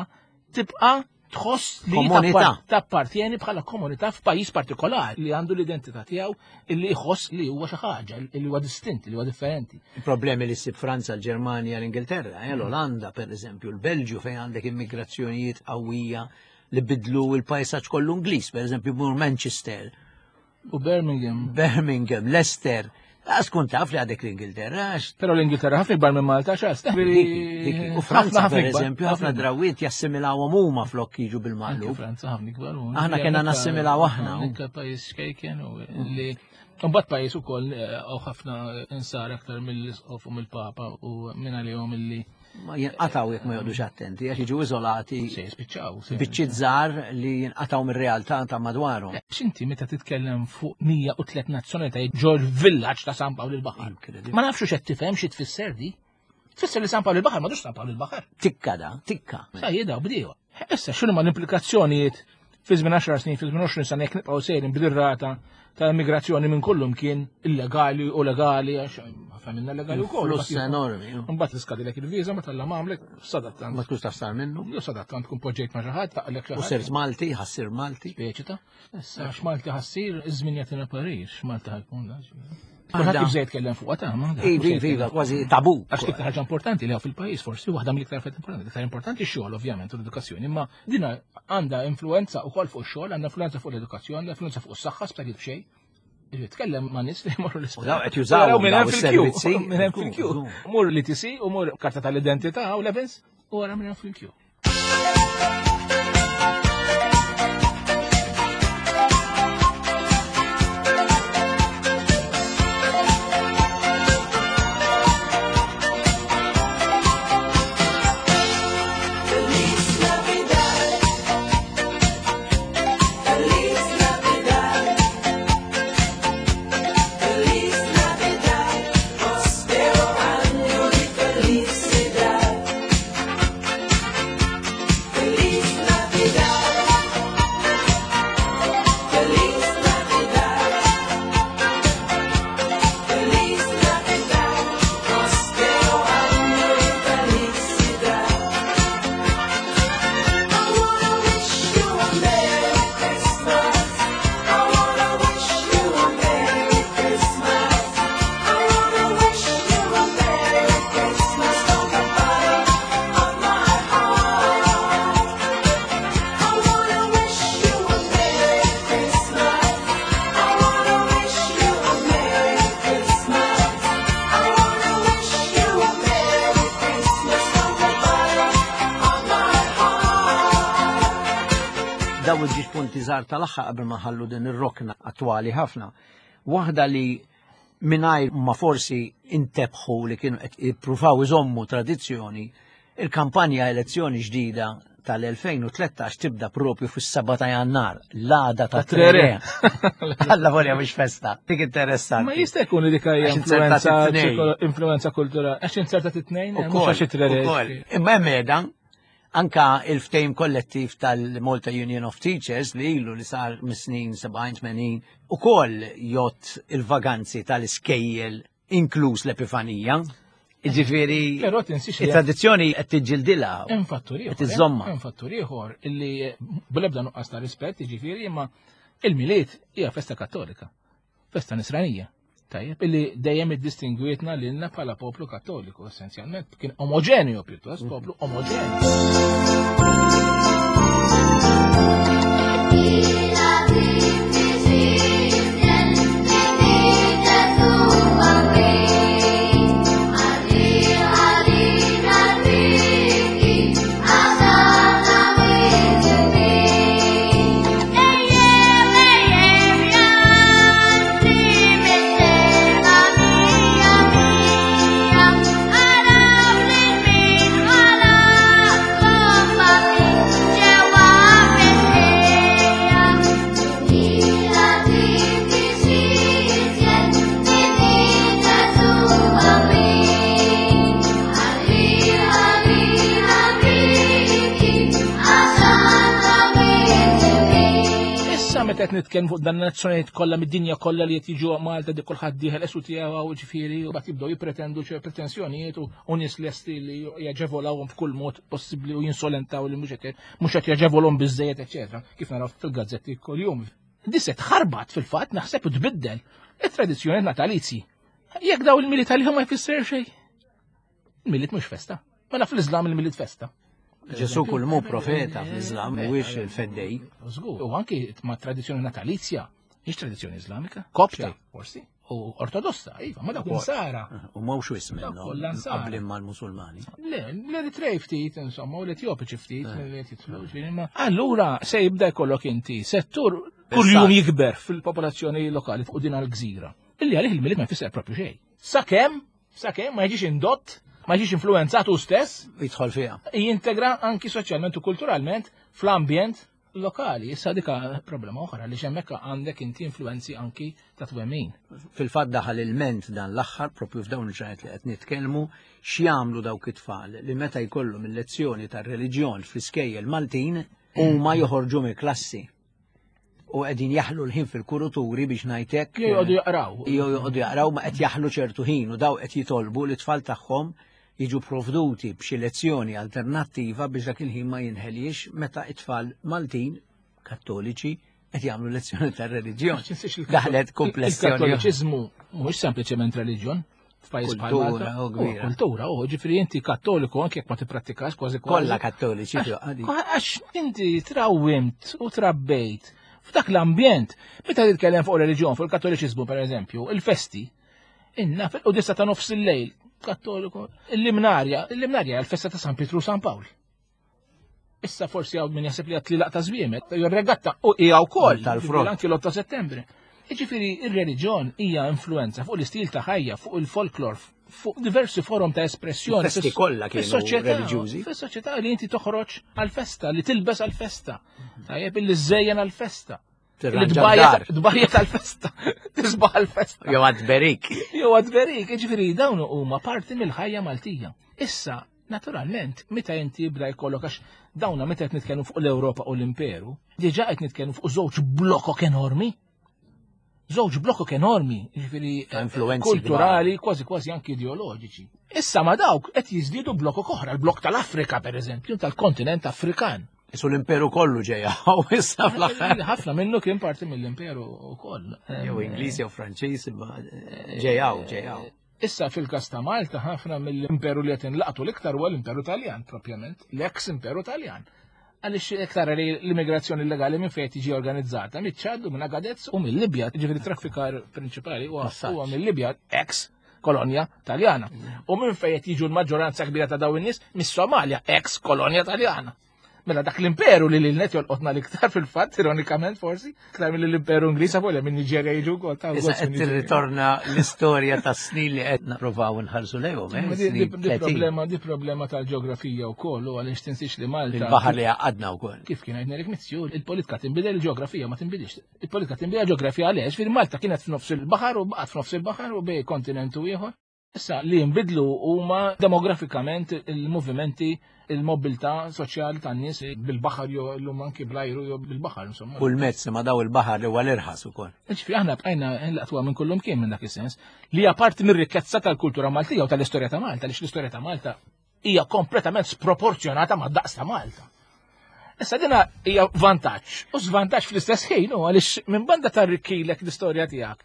Speaker 6: tibqa' tħoss li
Speaker 1: Komunità.
Speaker 6: tappartieni bħala komunità f'pajjiż partikolari li għandu l-identità tiegħu illi jħoss li huwa xi ħaġa, li huwa distint, li huwa differenti.
Speaker 1: Il-problemi li ssib Franza, l-Ġermanja, l-Ingilterra, l-Olanda, per eżempju, l-Belġju fejn għandek immigrazzjonijiet qawwija li bidlu il-pajsaġġ kollu Ingliż, per eżempju, mur Manchester,
Speaker 6: U Birmingham.
Speaker 1: Birmingham, Leicester. Għas kun taf li għadek l-Ingilterra, għax
Speaker 6: Però l-Ingilterra ħafna ikbar minn Malta xas.
Speaker 1: dik. U Franza, per eżempju, ħafna drawiet jassimilawhom huma flok jiġu
Speaker 6: Anke
Speaker 1: bil-maqlub.
Speaker 6: Franza ħafna ikbar. u
Speaker 1: Aħna kena
Speaker 6: anke-
Speaker 1: nassimilaw aħna.
Speaker 6: Anke pajjiż xkejken u li Mbagħad pajjiż ukoll u ħafna insar aktar mill-isqof u mill-papa u minn għalihom illi
Speaker 1: Ma jinqataw jekk ma joqgħodux attenti, għax jiġu iżolati
Speaker 6: se jispiċċaw.
Speaker 1: biċċiet żgħar li jinqataw mir-realtà ta' madwarhom.
Speaker 6: X'inti meta titkellem fuq 103 nazzjonalitajiet ġol villaġġ ta' San Pawl il-Baħar.
Speaker 1: Incredible.
Speaker 6: Ma nafx x'qed tifhem xi tfisser di. Tfisser li San Pawl il-Baħar m'għadux San Pawl il-Baħar.
Speaker 1: Tikka da, tikka.
Speaker 6: Sa jidaw bdiewa. Issa x'inhu ma l-implikazzjonijiet fi żmien 10 snin, fi żmien 20 sena jekk nibqgħu sejrin bil-rata ta' immigrazzjoni minn kullum kien illegali u legali għax ħafna minna legali wkoll.
Speaker 1: Fluss enormi.
Speaker 6: Mbagħad tiskadilek il-viża ma talla m'għamlek sadattant.
Speaker 1: Ma tkunx taf sar minnu.
Speaker 6: Jew sadattant tkun poġġejt ma' xi ħadd taqlek xi
Speaker 1: U
Speaker 6: ħadd.
Speaker 1: sirt Malti, ħassir Malti.
Speaker 6: Speċi ta' Issa x'Malti ħassir iż-żmien jagħtina parir, x'Malti ħajkun da.
Speaker 1: Għanda.
Speaker 6: Kulħadd jibża jitkellem fuqha ta' ma.
Speaker 1: Iva, iva, iva, kważi tabu.
Speaker 6: Għax l-iktar ħaġa importanti li hawn fil-pajjiż forsi waħda mill-iktar affarijiet importanti, l-iktar importanti x-xogħol ovvjament u l-edukazzjoni, imma dina għandha influenza wkoll fuq ix-xogħol, għandha influenza fuq l-edukazzjoni, għandha influenza fuq is-saħħa sptarijiet b'xejn. Jiġifieri Tkellem ma' nies li jmorru l-isptar.
Speaker 1: U daw qed jużawhom
Speaker 6: Jaraw minn
Speaker 1: daw
Speaker 6: hemm fil-kju,
Speaker 1: is-servizzi.
Speaker 6: Minn hemm fil-kju. Mur l-ITC u mur karta tal-identità u l-events u wara minn hemm fil-kju.
Speaker 11: Feliz Navidad. Feliz Navidad. Feliz Navidad. Prospero año y felicidad. Feliz Navidad. Feliz Navidad. Feliz Navidad. Prospero año y felicidad. I wanna wish you a Merry Christmas. I wanna wish you a Merry Christmas. I wanna wish you a Merry Christmas from the bottom of my heart. I wanna wish you a Merry Christmas. I wanna wish you a Merry Christmas. I wanna wish you a Merry Christmas from the bottom of my heart.
Speaker 1: Daw iġġiex punti żgħar tal-aħħar qabel ma ħallu din ir-rokna attwali ħafna. Waħda li mingħajr ma forsi intebħu li kienu qed jippruvaw iżommu tradizzjoni, il-kampanja elezzjoni ġdida tal-2013 tibda propju fis-7 ta' Jannar, l-għada ta'
Speaker 6: Trere.
Speaker 1: Trere. Alla volja mhux festa. Dik interessanti.
Speaker 6: Ma jista' jkun li dik hija
Speaker 1: Għax inzertat
Speaker 6: influenza
Speaker 1: it-tnejn.
Speaker 6: influenza kulturali. Għax inzertat it-tnejn, mhux
Speaker 1: Ukoll,
Speaker 6: għax it-trere.
Speaker 1: ukoll. Imma hemm qiegħda anka il-ftehim kollettiv tal-Malta Union of Teachers li ilu li sar mis-snin 70-80 ukoll jott il-vaganzi tal-iskejjel inkluż l-Epifanija. Jiġifieri
Speaker 6: Però tinsiex li
Speaker 1: it-tradizzjoni qed tiġġildilha.
Speaker 6: Hemm fattur ieħor.
Speaker 1: Qed iżżommha.
Speaker 6: Hemm fattur ieħor illi bl-ebda nuqqas ta' rispett, jiġifieri imma il-Milied hija festa kattolika, festa nisranija. Tajjeb, illi dejjem iddistingwietna lilna bħala poplu kattoliku, essenzjalment kien omogenju pjuttost, poplu omogenju.
Speaker 10: Mia,
Speaker 6: Meta qed nitkellmu fuq dan nazzjonijiet kollha mid-dinja kollha li qed jiġu Malta dik kulħadd dieħel esu tiegħu ġifieri u bagħad jibdew jippretendu ċe pretensjonijiet u nies lesti li jaġevolawhom b'kull mod possibbli u jinsolentaw li mhux qed mhux qed jaġevolhom biżejjed eċetera, kif naraw fil-gazzetti kuljum. Di se tħarbat fil-fatt naħseb u tbiddel it-tradizzjoni natalizji. Jekk daw il-Milied għalihom ma jfisser xejn. Il-Milied mhux festa. Mela fl-Iżlam il-Milied festa.
Speaker 1: Ġesu kull mu profeta fl-Iżlam mhuwiex il-feddej.
Speaker 6: Żgur, u anki ma' tradizzjoni natalizja, mhix tradizzjoni Iżlamika, Kopta, forsi, u ortodossa, iva, ma dawk insara.
Speaker 1: U mhux wis minnhom qabli mal-Musulmani.
Speaker 6: Le, l-Eritrej ftit, insomma, u l-Etjopiċi ftit, eh. Allura se jibda jkollok inti settur kuljum jikber fil-popolazzjoni lokali fuq din għal-gżira. Illi għalih il-Milied ma jfisser propju xejn. Sakemm Sakemm ma jiġix indott, ma jiġix influenzat hu stess.
Speaker 1: Jidħol fiha.
Speaker 6: Jintegra anki soċjalment u kulturalment fl-ambjent lokali. Issa dika problema oħra li hemmhekk għandek inti influenzi anki ta' twemmin.
Speaker 1: Fil-fatt daħal il-ment dan l-aħħar propju f'dawn il-ġranet li qed nitkellmu x'jagħmlu dawk it-tfal li meta jkollhom il-lezzjoni tar-reliġjon fl-iskejjel Maltin huma joħorġu mill-klassi u qegħdin jaħlu l-ħin fil-kuruturi biex ngħidlek.
Speaker 6: Jew joqogħdu jaqraw.
Speaker 1: Jew joqogħdu jaqraw ma qed jaħlu ċertu ħin u daw qed jitolbu li tfal tagħhom jiġu provduti b'xi lezzjoni alternattiva biex dak il-ħin ma jinħeliex meta it-tfal Maltin Kattoliċi qed jagħmlu lezzjoni tar-reliġjon. Daħlet komplessjoni.
Speaker 6: Il-Kattoliċiżmu mhuwiex sempliċement reliġjon f'pajjiż bħal Malta. Kultura, u ġifieri inti kattoliku anke jekk ma tipprattikax kważi
Speaker 1: kważi. Kollha kattoliċi.
Speaker 6: Għax inti trawwimt u trabbejt f'dak l-ambjent. Meta titkellem fuq reliġjon, fuq il-kattoliċiżmu pereżempju, il-festi, inna fil-qudisa ta' nofs il-lejl, kattoliku, l-imnarja, l-imnarja l-festa ta' San Pietru San Pawl. Issa forsi għaw min jaħseb li għat li laqta żwiemet, jew regatta u hija wkoll
Speaker 1: tal-frott.
Speaker 6: Anki l-8 ta' Settembru. Jiġifieri ir-reliġjon hija influenza fuq l-istil ta' ħajja, fuq il-folklor, fuq diversi forom ta' espressjoni.
Speaker 1: Festi kollha kienu reliġjużi.
Speaker 6: Fis-soċjetà li inti toħroġ għal-festa, li tilbes għal-festa. Tajjeb illi żejjen għal-festa. Tbajja tal-festa, tisbaħ għal-festa.
Speaker 1: Jew għad-berik.
Speaker 6: Jew għad-berik, ġifieri dawn huma parti mill-ħajja Maltija. Issa, naturalment, meta inti jibda jkollok għax dawna meta qed nitkellmu fuq l-Ewropa u l-Imperu, diġà qed nitkellmu fuq żewġ blokok enormi. Żewġ blokok enormi, ġifieri kulturali, kważi kważi anki ideoloġiċi. Issa ma dawk qed jiżdiedu blokok oħra, l-blok tal-Afrika pereżempju, tal-kontinent Afrikan.
Speaker 1: Isu l-imperu kollu ġeja, u issa fl-aħħar.
Speaker 6: Ħafna minnu kien parti mill-imperu ukoll.
Speaker 1: Jew Ingliż jew Franċiż, imma ġejaw, ġejaw.
Speaker 6: Issa fil-każ ta' Malta ħafna mill-imperu li qed inlaqtu l-iktar huwa l-imperu Taljan propjament, l-eks imperu Taljan. Għaliex iktar li l-immigrazzjoni illegali minn fejn tiġi organizzata, miċ-Ċad u minn Agadez u mill-Libja, ġifieri traffikar prinċipali huwa mill-Libja, ex kolonja Taljana. U minn fejn qed jiġu l-maġġoranza kbira ta' dawn in-nies mis-Somalja, ex kolonja Taljana. Mela dak l-imperu li lilnet jolqotna l-iktar fil-fatt, ironikament forsi, iktar mill l-imperu Ingliż avolja minn Niġerja jiġu wkoll
Speaker 1: ta' Issa qed tirritorna l-istorja tas snin li qed nipprovaw nħarsu lejhom, eh?
Speaker 6: Di problema, di problema tal-ġeografija wkoll u għaliex tinsiex li Malta.
Speaker 1: Il-baħar li għaqadna wkoll.
Speaker 6: Kif kien għidna Eric Mizzi, il-politika tinbidel, il-ġeografija ma tinbidilx. Il-politika tinbidel ġeografija għaliex, fil Malta kienet f'nofs il-baħar u baqgħet f'nofs il-baħar u bej kontinent u ieħor. Issa li jinbidlu huma demografikament il-movimenti, il-mobilità soċjali tan-nies bil-baħar jew llum anki bl-ajru jew bil-baħar insomma.
Speaker 1: Kull mezz ma daw il-baħar li huwa l-irħas ukoll.
Speaker 6: Ġifieri aħna bqajna nlaqtuha minn kullum kien minn dak is-sens li hija parti mir-rikkezza tal-kultura Maltija u tal-istorja ta' Malta, għaliex l-istorja ta' Malta hija kompletament sproporzjonata ma' daqs ta' Malta. Issa dina hija vantaġġ u żvantaġġ fl-istess ħin u għaliex minn banda tarrikkilek l-istorja tiegħek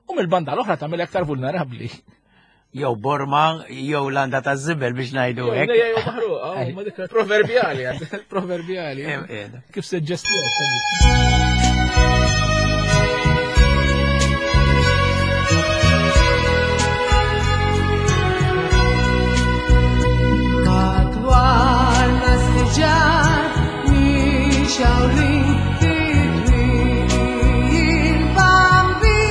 Speaker 6: u mill-banda l-oħra tagħmel aktar vulnerabbli.
Speaker 1: Jew Borma, jew landa ta' żibel biex ngħidu hekk.
Speaker 6: Jew maħruqa, ma dik proverbjali, proverbjali. Kif se ġestija.
Speaker 11: Madwarna s-siġar mixawrin fit-twil il-bambin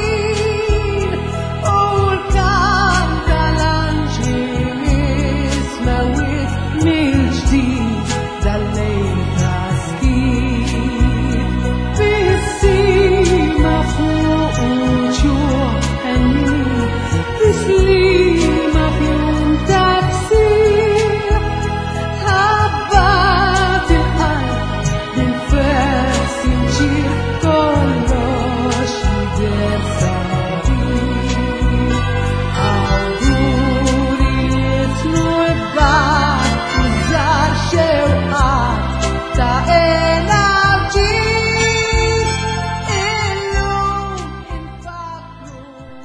Speaker 11: u l-kant tal-anġli mismewit mill-ġdid dal-lejl ta' skiet. Bissima fuq uċuħ ħennin, tislima f'jum ta' ksir, tħabbar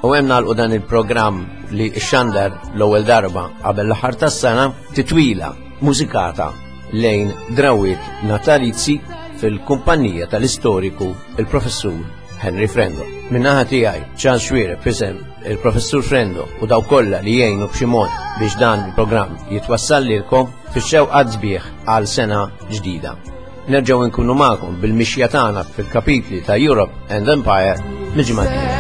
Speaker 4: U hemm nagħlqu dan il-programm li xandar l-ewwel darba qabel l-aħħar tas-sena titwila mużikata lejn drawiet natalizzi fil-kumpanija tal-istoriku il-professur Henry Frendo. Minnaħa tiegħi Charles Xuereb f'isem il-professur Frendo u daw kollha li jgħinu b'xi mod biex dan il-programm jitwassal lilkom fix-xewqat sbieħ għal sena ġdida. Nerġgħu nkunu magħkom bil-mixja tagħna fil-kapitli ta' Europe and Empire mill-ġimgħa.